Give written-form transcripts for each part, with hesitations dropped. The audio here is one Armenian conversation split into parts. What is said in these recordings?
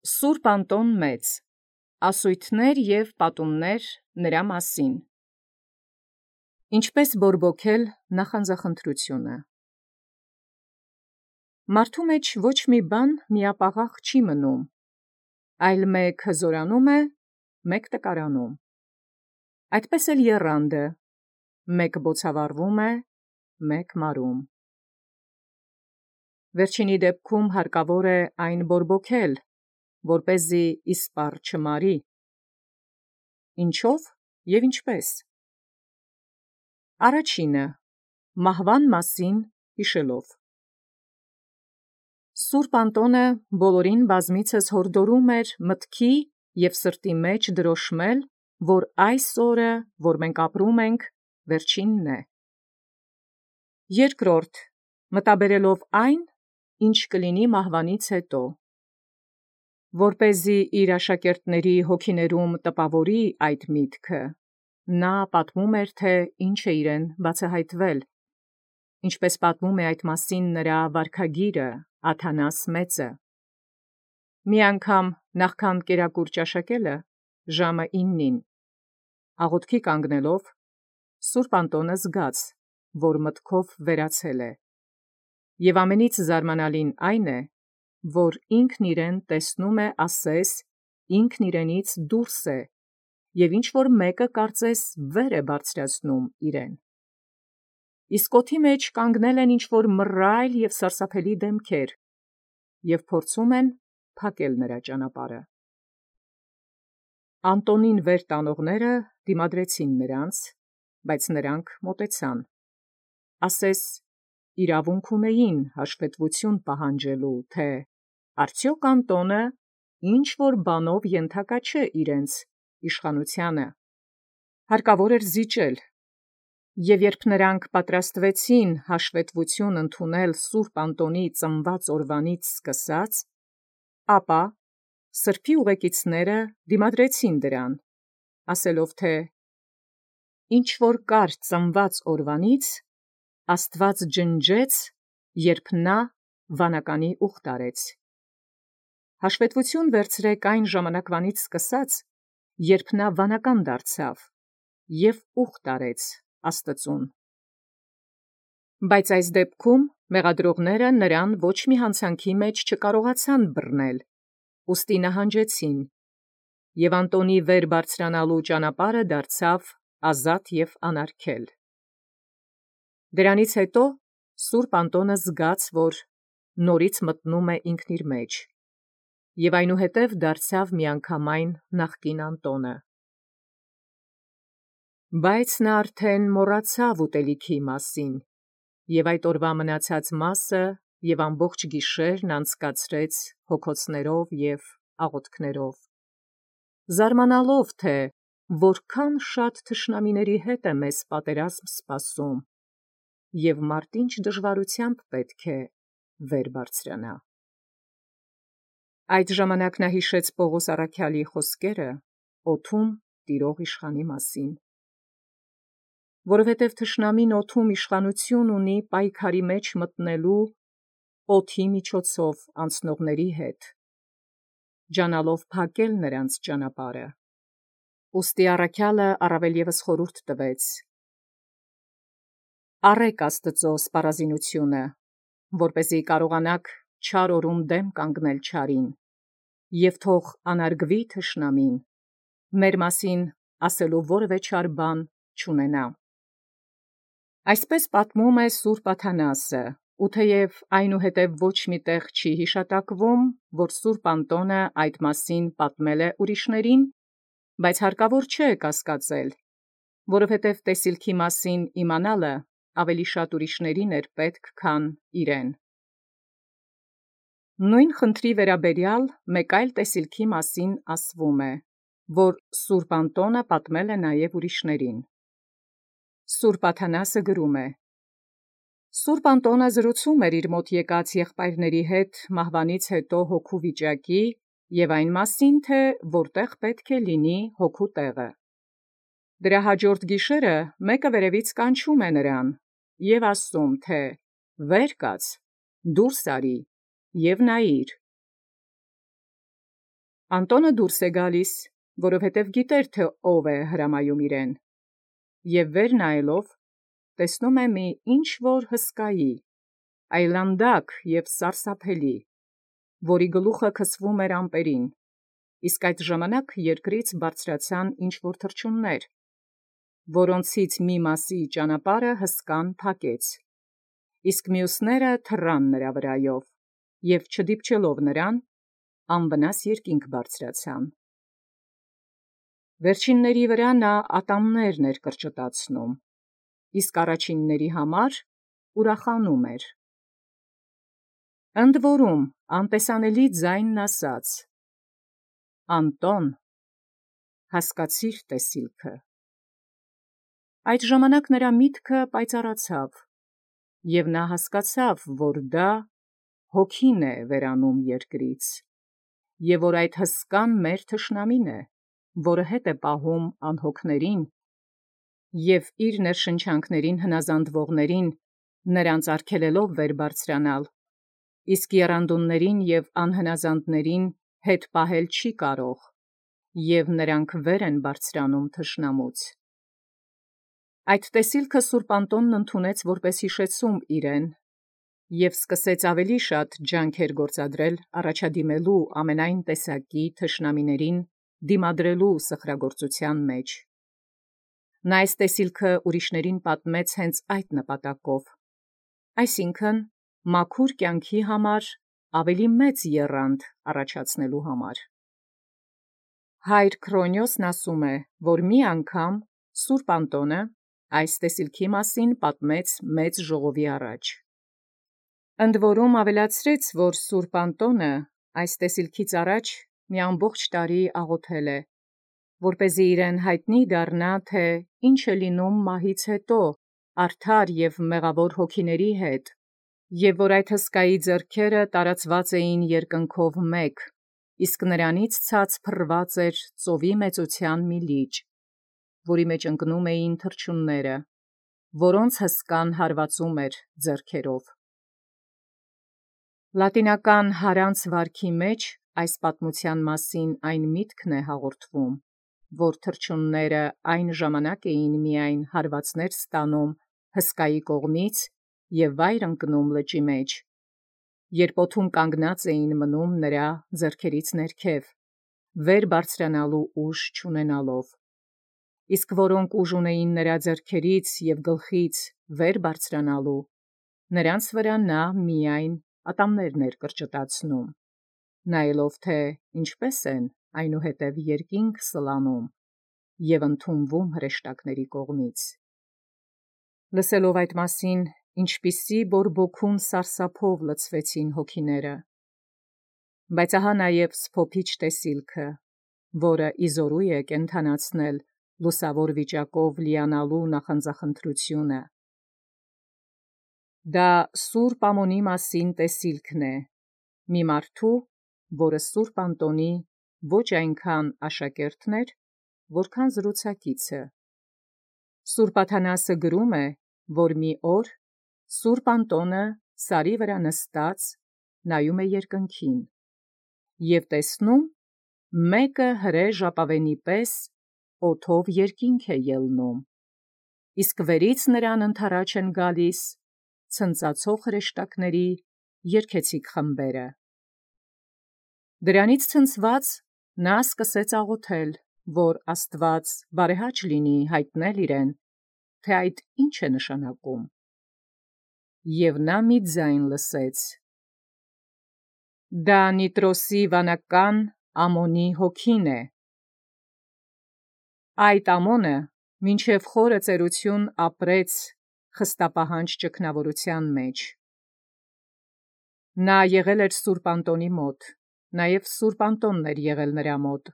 Սուրբ Անտոն Մեծ, ասույթներ և պատումներ նրա մասին։ Ինչպես բորբոքել նախանձախնդրությունը։ Մարդու մեջ ոչ մի բան միապաղաղ չի մնում, այլ մեկ հզորանում է, մեկ տկարանում։ Այդպես էլ եռանդը, մեկ բոցավառվում է, մեկ մարում։ Վերջինի դեպքում հարկավոր է այն բորբոքել, որպեսզի իսպառ չմարի։ Ինչով և ինչպես։ Առաջինը՝ մահվան մասին հիշելով։ Սուրբ Անտոնը բոլորին բազմիցս հորդորում էր մտքի և սրտի մեջ դրոշմել, որ այս օրը, որ մենք ապրում ենք, վերջինն է։ Երկրորդ՝ մտաբերելով այն, ինչ կլինի մահվանից հետո։ Որպեսզի իր աշակերտների հոգիներում տպավորի այդ միտքը, նա պատմում էր, թե ինչ է իրեն բացահայտվել, ինչպես պատմում է այդ մասին նրա վարքագիրը Աթանաս մեծը։ Մի անգամ նախքան կերակուր ճաշակելը, ժամը 9, աղոթքի կանգնելով, Սուրբ Անտոնը զգաց, որ մտքով վերացել է, և ամենից զարմանալին այն է, որ ինքն իրեն տեսնում է ասես, ինքն իրենից դուրս է, և ինչ-որ մեկը կարծես վեր է բարձրացնում իրեն։ Իսկ օդի մեջ կանգնել են ինչ-որ մռայլ և սարսափելի դեմքեր, և փորձում են փակել նրա ճանապարհը։ Անտոնին վեր տանողները դիմադրեցին նրանց, բայց նրանք մոտեցան, ասես իրավունք ունեին հաշվետվություն պահանջելու, թե արդյոք Անտոնը ինչ-որ բանով ենթակա չէ իրենց իշխանությանը, հարկավոր էր զիջել, և երբ նրանք պատրաստվեցին հաշվետվություն ընդունել Սուրբ Անտոնի ծնված օրվանից սկսած, ապա սրբի ուղեկիցները դիմադրեցին դրան, ասելով, թե ինչ-որ կար ծնված օրվանից, Աստված ջնջեց, երբ նա վանականի ուխտ արեց։ Հաշվետվություն վերցրեք այն ժամանակվանից սկսած, երբ նա վանական դարձավ և ուխտ արեց Աստծուն։ Բայց այս դեպքում մեղադրողները նրան ոչ մի հանցանքի մեջ չկարողացան բռնել, ուստի նահանջեցին, և Անտոնի վեր բարձրանալու ճանապարհը դարձավ ազատ և անարգել։ Դրանից հետո Սուրբ Անտոնը զգաց, որ նորից մտնում է ինքն իր մեջ, և այնուհետև դարձավ միանգամայն նախկին Անտոնը։ Բայց նա արդեն մոռացավ ուտելիքի մասին, և այդ օրվա մնացած մասը և ամբողջ գիշերն անցկացրեց հոգոցներով և աղոթքներով, զարմանալով, թե որքան շատ թշնամիների հետ է մեզ պատերազմ սպասում, և մարդ ինչ դժվարությամբ պետք է վեր բարձրանա։ Այդ ժամանակ նա հիշեց Պողոս առաքյալի խոսքերը օդում տիրող իշխանի մասին։ Որովհետև թշնամին օդում իշխանություն ունի պայքարի մեջ մտնելու օդի միջոցով անցնողների հետ, ջանալով փակել նրանց ճանապարհը։ Ուստի առաքյալը առավել ևս խորհուրդ տվեց. առեք Աստծո սպառազինությունը, որպեսզի կարողանաք չար օրում դեմ կանգնել չարին, և թող անարգվի թշնամին, մեր մասին ասելու որևէ չար բան չունենա։ Այսպես պատմում է Սուրբ Աթանասը, ու թեև այնուհետև ոչ մի տեղ չի հիշատակվում, որ Սուրբ Անտոնը այդ մասին պատմել է ուրիշներին, բայց հարկավոր չէ կասկածել, որովհետև տեսիլքի մասին իմանալը ավելի շատ ուրիշներին էր պետք, քան իրեն։ Նույն խնդրի վերաբերյալ մեկ այլ տեսիլքի մասին ասվում է, որ Սուրբ Անտոնը պատմել է նաև ուրիշներին։ Սուրբ Աթանասը գրում է. Սուրբ Անտոնը զրուցում էր իր մոտ եկած եղբայրների հետ մահվանից հետո հոգու վիճակի և այն մասին, թե որտեղ պետք է լինի հոգու տեղը։ Դրա հաջորդ գիշերը մեկը վերևից կանչում է նրան և ասում, թե վեր կաց, դուրս արի և նայիր։ Անտոնը դուրս է գալիս, որովհետև գիտեր, թե ով է հրամայում իրեն, և վեր նայելով տեսնում է մի ինչ-որ հսկայի, այլանդակ և սարսափելի, որի գլուխը քսվում էր ամպերին, իսկ այդ ժամանակ երկրից բարձրացան ինչ-որ թռչուններ, որոնցից մի մասի ճանապարհը հսկան փակեց, իսկ մյուսները թռան նրա վրայով, և չդիպչելով նրան, անվնաս երկինք բարձրացան։ Վերջինների վրա նա ատամներն էր կրճտացնում, իսկ առաջինների համար ուրախանում էր։ Ընդ որում անտեսանելի ձայնն ասաց. «Անտոն, հասկացիր տեսիլքը»։ Այդ ժամանակ նրա միտքը պայծառացավ, և նա հասկացավ, որ դա հոգին է վերանում երկրից, և որ այդ հսկան մեր թշնամին է, որը հետ է պահում անհոգներին, և իր ներշնչանքներին հնազանդվողներին նրանց արգելելով վեր բարձրանալ, իսկ եռանդուններին և անհնազանդներին հետ պահել չի կարող, և նրանք վեր են բարձրանում թշնամուց։ Այդ տեսիլքը սուրբ Անտոնն ընդունեց որպես հիշեցում իրեն, և սկսեց ավելի շատ ջանքեր գործադրել առաջադիմելու ամենայն տեսակի թշնամիներին դիմադրելու սխրագործության մեջ։ Նա այս տեսիլքը ուրիշներին պատմեց հենց այդ նպատակով, այսինքն մաքուր կյանքի համար ավելի մեծ եռանդ առաջացնելու համար։ Հայր Քրոնյոսն ասում է, որ մի անգամ սուրբ Անտոնը այս տեսիլքի մասին պատմեց մեծ ժողովի առաջ։ Ընդ որում ավելացրեց, որ սուրբ Անտոնը այս տեսիլքից առաջ մի ամբողջ տարի աղոթել է, որպեսզի իրեն հայտնի դառնա, թե ինչ է լինում մահից հետո արդար և մեղավոր հոգիների հետ, և որ այդ հսկայի ձեռքերը տարածված էին երկնքով մեկ, իսկ նրանից ցած փռված էր ծովի մեծության մի լիճ, որի մեջ ընկնում էին թռչունները, որոնց հսկան հարվածում էր ձեռքերով։ Լատինական հարանց վարքի մեջ այս պատմության մասին այն միտքն է հաղորդվում, որ թռչունները այն ժամանակ էին միայն հարվածներ ստանում հսկայի կողմից և վայր ընկնում լճի մեջ, երբ օդում կանգնած էին մնում նրա ձեռքերից ներքև, վեր բարձրանալու ուժ չունենալով, իսկ որոնք ուժ ունեին նրա ձեռքերից և գլխից վեր բարձրանալու, նրանց վրա նա միայն ատամներն էր կրճտացնում, նայելով, թե ինչպես են այնուհետև երկինք սլանում և ընդունվում հրեշտակների կողմից։ Լսելով այդ մասին, ինչպիսի բորբոքուն սարսափով լցվեցին հոգիները։ Բայց ահա նաև սփոփիչ տեսիլքը, որը իզորու է կենդանացնել լուսավոր վիճակով լիանալու նախանձախնդրությունը։ Դա սուրբ Ամոնի մասին տեսիլքն է, մի մարդու, որը սուրբ Անտոնի ոչ այնքան աշակերտն էր, որքան զրուցակիցը։ Սուրբ Աթանասը գրում է, որ մի օր սուրբ Անտոնը սարի վրա նստած նայում է երկնքին և տեսնում մեկը հրե ժապավենի պես օդով երկինք է ելնում, իսկ վերից նրան ընդառաջ են գալիս ցնծացող հրեշտակների երգեցիկ խմբերը։ Դրանից ցնցված նա սկսեց աղոթել, որ Աստված բարեհաճ լինի հայտնել իրեն, թե այդ ինչ է նշանակում։ Եվ նա մի ձայն լսեց. «Դա Նիտրոսի վանական Ամոնի հոգին է»։ Այդ Ամոնը մինչև խորը ծերություն ապրեց խստապահանջ ճգնավորության մեջ։ Նա եղել էր սուրբ Անտոնի մոտ, նաև սուրբ Անտոնն էր եղել նրա մոտ։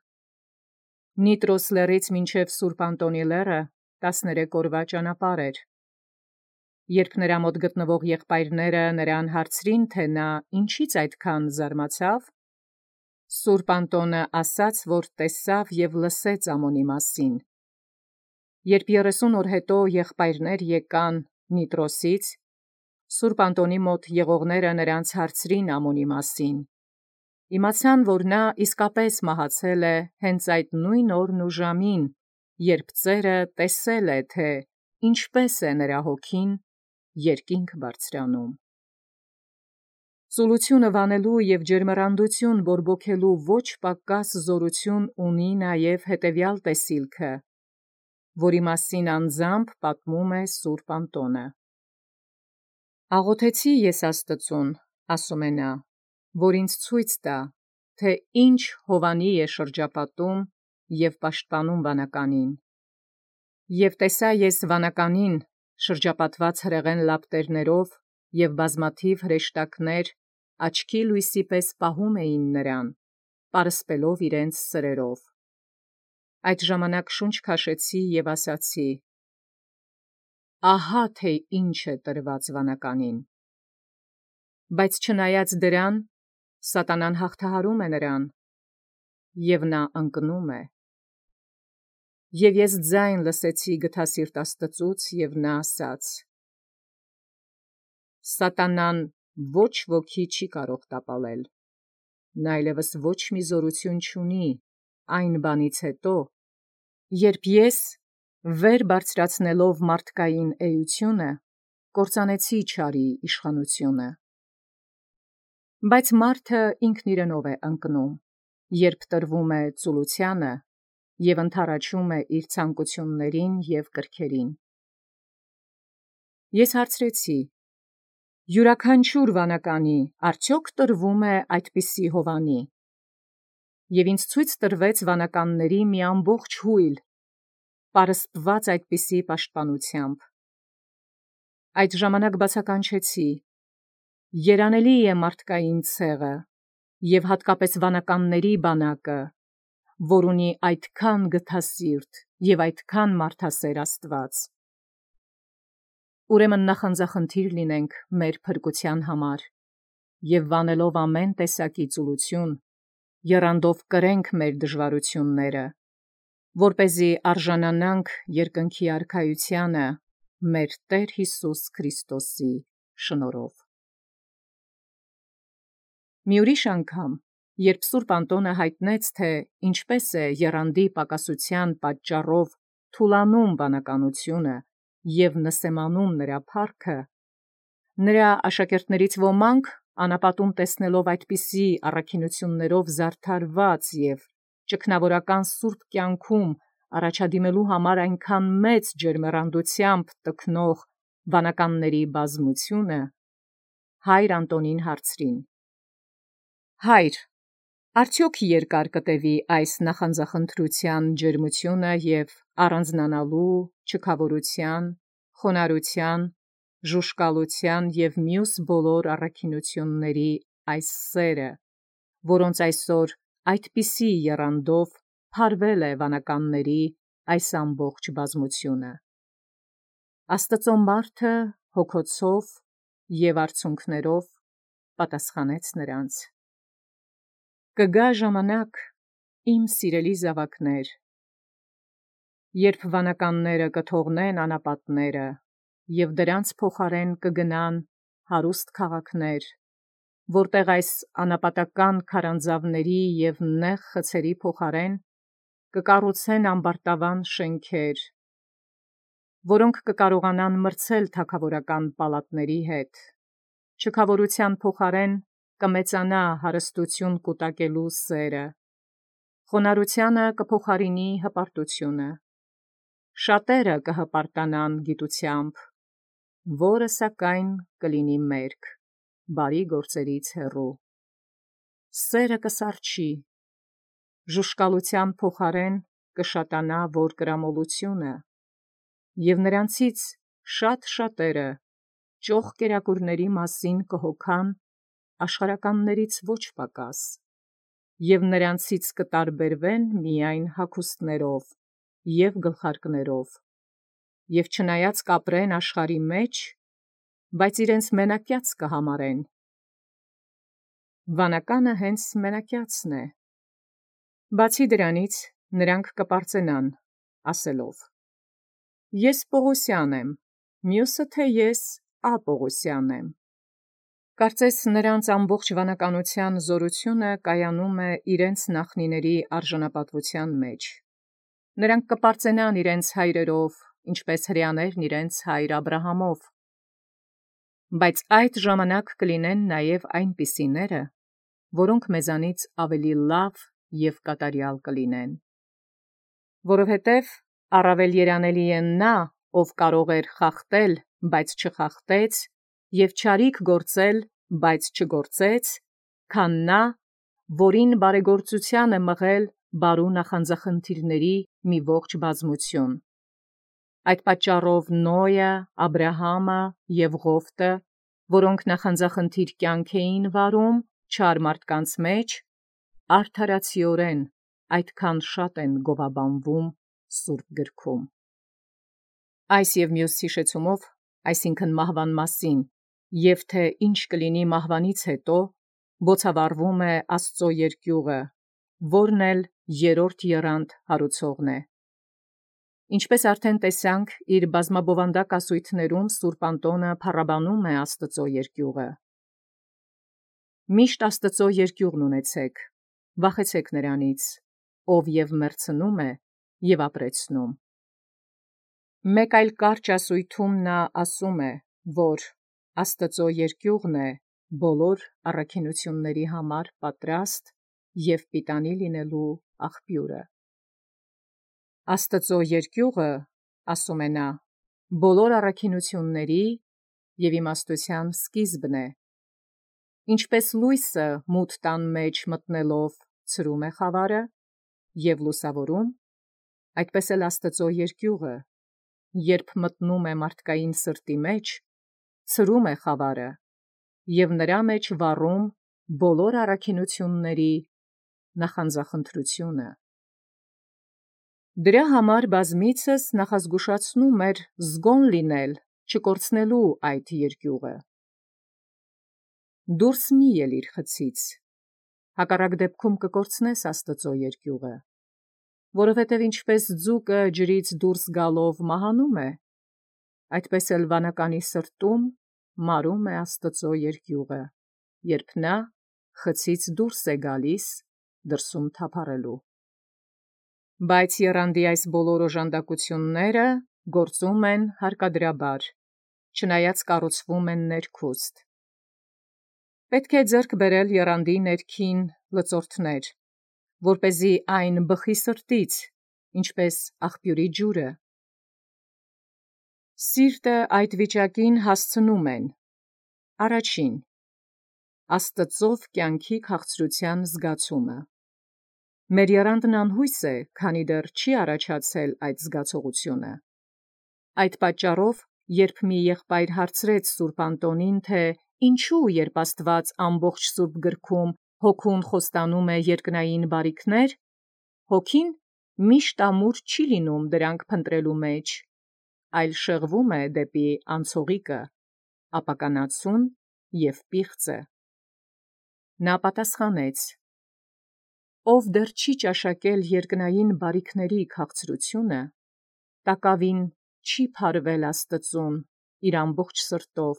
Նիտրոս լեռից մինչև սուրբ Անտոնի լեռը 13 օրվա ճանապարհ էր։ Երբ նրա մոտ գտնվող եղբայրները նրան հարցրին, թե նա ինչից այդքան զարմացավ, սուրբ Անտոնը ասաց, որ տեսավ և լսեց Ամոնի մասին։ Երբ 30 օր հետո եղբայրներ եկան Նիտրոսից, սուրբ Անտոնի մոտ եղողները նրանց հարցրին Ամոնի մասին, Իմացան, որ նա իսկապես մահացել է հենց այդ նույն օրն ու ժամին, երբ ծերը տեսել է, թե ինչպես է նրա հոգին երկինք բարձրանում։ Ծուլությունը վանելու և ջերմեռանդություն բորբոքելու ոչ պակաս զորություն ունի նաև հետևյալ տեսիլքը, որի մասին անձամբ պատմում է Սուրբ Անտոնը։ «Աղոթեցի ես Աստծուն, ասում է նա, որ ինձ ցույց տա, թե ինչ հովանի է շրջապատում և պաշտպանում վանականին։ Եվ տեսա ես վանականին շրջապատված հրեղեն լապտերներով և բազմաթիվ հրեշտակներ աչքի լույսի պես պահում էին նրան, պարսպելով իրենց սրերով։ Այդ ժամանակ շունչ քաշեցի և ասացի. ահա թե ինչ է տրված վանականին։ Բայց չնայած դրան, սատանան հաղթահարում է նրան, և նա ընկնում է։ Եվ ես ձայն լսեցի գթասիրտ Աստծուց, և նա ասաց. սատանան ոչ ոքի չի կարող տապալել, նա այլևս ոչ մի զորություն չունի այն բանից հետո, երբ ես, վեր բարձրացնելով մարդկային էությունը, կործանեցի չարի իշխանությունը։ Բայց մարդը ինքն իրենով է ընկնում, երբ տրվում է ծուլությանը և ընդառաջում է իր ցանկություններին և կրքերին։ Ես հարցրեցի. յուրաքանչյուր վանականի արդյոք տրվում է այդպիսի հովանի։ Եվ ինձ ցույց տրվեց վանականների մի ամբողջ հույլ, պարսպված այդպիսի պաշտպանությամբ։ Այդ ժամանակ բացականչեցի. երանելի է մարդկային ցեղը և հատկապես վանականների բանակը, որ ունի այդքան գթասիրտ և այդքան մարդասեր Աստված։ Ուրեմն նախանձախնդիր լինենք մեր փրկության համար և վանելով ամեն տեսակի ծուլություն, եռանդով կրենք մեր դժվարությունները, որպեսզի արժանանանք երկնքի արքայությանը մեր Տեր Հիսուս Քրիստոսի շնորհով։ Մի ուրիշ անգամ, երբ Սուրբ Անտոնը հայտնեց, թե ինչպես է եռանդի պակասության պատճառով թուլանում վանականությունը և նսեմանում նրա փառքը, նրա աշակերտներից ոմանք անապատում տեսնելով այդպիսի առաքինություններով զարդարված և ճգնավորական սուրբ կյանքում առաջադիմելու համար այնքան մեծ ջերմեռանդությամբ տքնող վանականների բազմությունը, հայր Անտոնին հարցրին. «Հայր, արդյոք երկար կտևի այս նախանձախնդրության ջերմությունը և առանձնանալու, չքավորության, խոնարհության, ժուժկալության և մյուս բոլոր առաքինությունների այս սերը, որոնց այսօր այդպիսի եռանդով փարվել է վանականների այս ամբողջ բազմությունը»։ Աստծո մարդը հոգոցով և արցունքներով պատասխանեց նրանց. «Կգա ժամանակ, իմ սիրելի զավակներ, երբ վանականները կթողնեն անապատները և դրանց փոխարեն կգնան հարուստ քաղաքներ, որտեղ այս անապատական քարանձավների և նեղ խցերի փոխարեն կկառուցեն ամբարտավան շենքեր, որոնք կկարողանան մրցել թագավորական պալատների հետ, չքավորության փոխարեն կմեծանա հարստություն կուտակելու սերը, խոնարհությանը կփոխարինի հպարտությունը, շատերը կհպարտանան գիտությամբ, որը սակայն կլինի մերկ, բարի գործերից հեռու, սերը կսառչի, ժուժկալության փոխարեն կշատանա որկրամոլությունը, և նրանցից շատ-շատերը ճոխ կերակուրների մասին կհոգան աշխարհականներից ոչ պակաս, և նրանցից կտարբերվեն միայն հագուստներով և գլխարկներով, և չնայած կապրեն աշխարհի մեջ, բայց իրենց մենակյաց կհամարեն։ Վանականը հենց մենակյացն է։ Բացի դրանից, նրանք կպարծենան, ասելով. «Ես Պողոսյան եմ, մյուսը թե ես Ապողոսյան եմ»։ Կարծես նրանց ամբողջ վանականության զորությունը կայանում է իրենց նախնիների արժանապատվության մեջ։ Նրանք կպարծենան իրենց հայրերով, ինչպես հրեաներն իրենց հայր Աբրահամով։ Բայց այդ ժամանակ կլինեն նաև այնպիսիները, որոնք մեզանից ավելի լավ և կատարյալ կլինեն։ Որովհետև առավել երանելի է նա, ով կարող էր խախտել, բայց չխախտեց, և չարիք գործել, բայց չգործեց, քան նա, որին բարեգործության է մղել բարու նախանձախնդիրների մի ողջ բազմություն։ Այդ պատճառով Նոյը, Աբրահամը և Ղովտը, որոնք նախանձախնդիր կյանք էին վարում չար մարդկանց մեջ, արդարացիորեն այդքան շատ են գովաբանվում Սուրբ գրքում։ Այս և մյուս հիշեցումով, այսինքն մահվան մասին, և թե ինչ կլինի մահվանից հետո, բոցավառվում է Աստծո երկյուղը, որն էլ երրորդ եռանդ հարուցողն է։ Ինչպես արդեն տեսանք, իր բազմաբովանդակ ասույթներում Սուրբ Անտոնը փառաբանում է Աստծո երկյուղը։ Միշտ Աստծո երկյուղն ունեցեք, վախեցեք նրանից, ով և մեռցնում է, և ապրեցնում։ Մեկ այլ կարճ ասույթում նա ասում է, որ Աստծո երկյուղն է բոլոր առաքինությունների համար պատրաստ և պիտանի լինելու աղբյուրը։ Աստծո երկյուղը, ասում է նա, բոլոր առաքինությունների և իմաստության սկիզբն է։ Ինչպես լույսը մութ տան մեջ մտնելով ցրում է խավարը և լուսավորում, այդպես էլ Աստծո երկյուղը, երբ մտնում է մարդկային սրտի մեջ, ցրում է խավարը և նրա մեջ վառում բոլոր առաքինությունների նախանձախնդրությունը։ Դրա համար բազմիցս նախազգուշացնում էր զգոն լինել, չկորցնելու այդ երկյուղը։ Դուրս մի ելիր խցից, հակառակ դեպքում կկորցնես Աստծո երկյուղը, որովհետև ինչպես ձուկը ջրից դուրս գալով մահանում է, այդպես էլ վանականի սրտում մարում է Աստծո երկյուղը, երբ նա խցից դուրս է գալիս դրսում թափառելու։ Բայց եռանդի այս բոլոր օժանդակությունները գործում են հարկադրաբար, չնայած կառուցվում են ներքուստ։ Պետք է ձեռք բերել եռանդի ներքին լծորդներ, որպեսզի այն բխի սրտից, ինչպես աղբյուրի ջուրը։ Սիրտը այդ վիճակին հասցնում են. Առաջին, Աստծով կյանքի քաղցրության զգացումը։ Մեր եռանդն անհույս է, քանի դեռ չի առաջացել այդ զգացողությունը։ Այդ պատճառով, երբ մի եղբայր հարցրեց Սուրբ Անտոնին, թե ինչու, երբ Աստված ամբողջ Սուրբ գրքում հոգուն խոստանում է երկնային բարիքներ, հոգին միշտ ամուր չի լինում դրանք փնտրելու մեջ, այլ շեղվում է դեպի անցողիկը, ապականացուն և պիղծը։ Նա պատասխանեց. ով դեռ չի ճաշակել երկնային բարիքների քաղցրությունը, տակավին չի փարվել Աստծուն իր ամբողջ սրտով,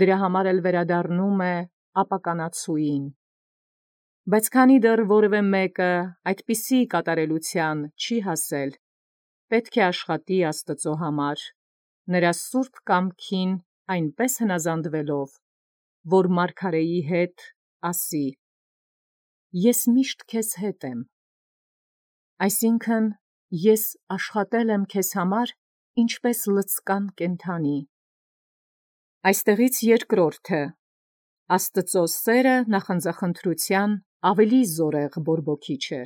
դրա համար էլ վերադառնում է ապականացուին։ Բայց քանի դեռ որևէ մեկը այդպիսի կատարելության չի հասել, պետք է աշխատի Աստծո համար, նրա սուրբ կամքին այնպես հնազանդվելով, որ մարգարեի հետ ասի. «Ես միշտ քեզ հետ եմ», այսինքն ես աշխատել եմ քեզ համար, ինչպես լցկան կենդանի։ Այստեղից երկրորդը. Աստծո սերը նախանձախնդրության ավելի զորեղ բորբոքիչ է։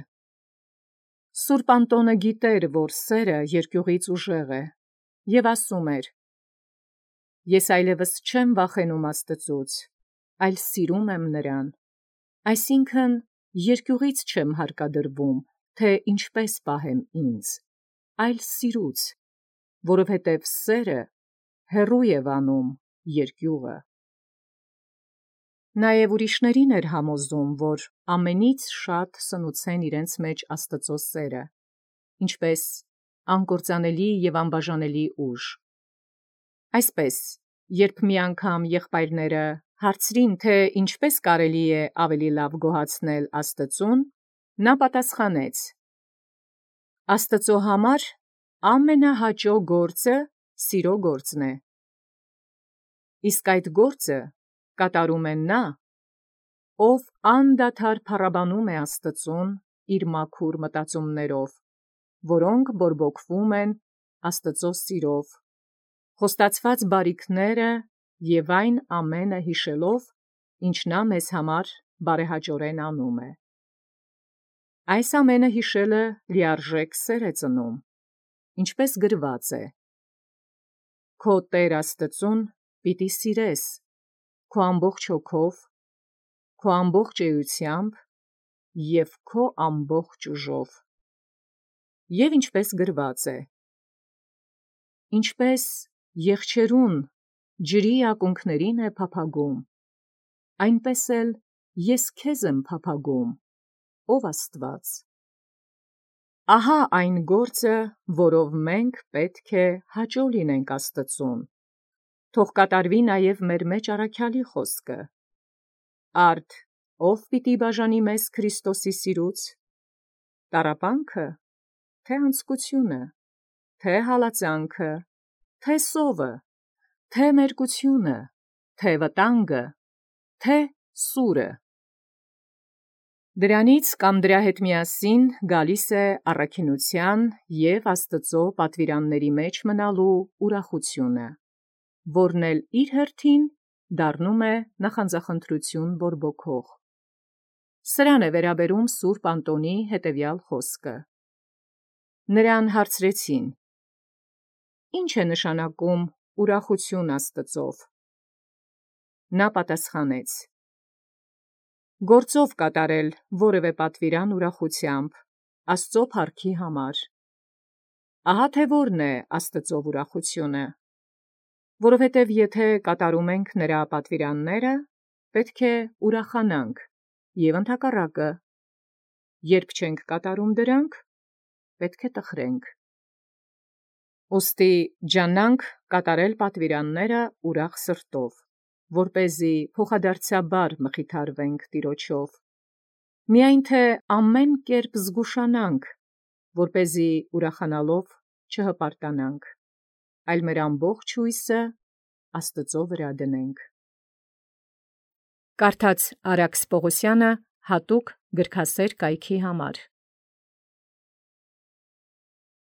Սուրբ Անտոնը գիտեր, որ սերը երկյուղից ուժեղ է, և ասում էր. «Ես այլևս չեմ վախենում Աստծուց, այլ սիրում եմ նրան, այսինքն երկյուղից չեմ հարկադրվում, թե ինչպես պահեմ ինձ, այլ սիրուց, որովհետև սերը հեռու է վանում երկյուղը»։ Նաև ուրիշներին էր համոզում, որ ամենից շատ սնուցեն իրենց մեջ Աստծո սերը, ինչպես անկործանելի և անբաժանելի ուժ։ Այսպես, երբ մի անգամ եղբայրները Հարցրին, թե ինչպես կարելի է ավելի լավ գոհացնել Աստծուն, նա պատասխանեց. Աստծո համար ամենահաճո գործը սիրո գործն է։ Իսկ այդ գործը կատարում է նա, ով անդադար փառաբանում է Աստծուն իր մաքուր մտածումներով, որոնք բորբոքվում են Աստծո սիրով, խոստացված բարիքները և այն ամենը հիշելով, ինչ նա մեզ համար բարեհաճորեն անում է։ Այս ամենը հիշելը լիարժեք սեր է ծնում, ինչպես գրված է. «Քո Տեր Աստծուն պիտի սիրես քո ամբողջ հոգով, քո ամբողջ էությամբ և քո ամբողջ ուժով»։ Եվ ինչպես գրված է. «Ինչպես եղջերուն ջրի ակունքներին է փափագում, այնպես էլ ես քեզ եմ փափագում, ով Աստված»։ Ահա այն գործը, որով մենք պետք է հաճո լինենք Աստծուն։ Թող կատարվի նաև մեր մեջ առաքյալի խոսքը. «Արդ ո՞վ պիտի բաժանի մեզ Քրիստոսի սիրուց, տառապանքը, թե անձկությունը, թե հալածանքը, թե սովը, թե մերկությունը, թե վտանգը, թե սուրը»։ Դրանից կամ դրա հետ միասին գալիս է առաքինության և Աստծո պատվիրանների մեջ մնալու ուրախությունը, որն էլ իր հերթին դառնում է նախանձախնդրություն բորբոքող։ Սրան է վերաբերում Սուրբ Անտոնի հետևյալ խոսքը. Նրան հարցրեցին. «Ի՞նչ է նշանակում ուրախություն Աստծով»։ Նա պատասխանեց. «Գործով կատարել որևէ պատվիրան ուրախությամբ, Աստծո փառքի համար։ Ահա թե որն է Աստծո ուրախությունը։ Որովհետև եթե կատարում ենք նրա պատվիրանները, պետք է ուրախանանք, և ընդհակառակը, երբ չենք կատարում դրանք, պետք է տխրենք։ Ուստի ջանանք կատարել պատվիրանները ուրախ սրտով, որպեսզի փոխադարձաբար մխիթարվենք Տիրոջով, միայն թե ամեն կերպ զգուշանանք, որպեսզի ուրախանալով չհպարտանանք, այլ մեր ամբողջ հույսը Աստծո վրա դնենք։ Կարդաց Արաքս Պողոսյանը հատուկ գրքասեր կայքի համար։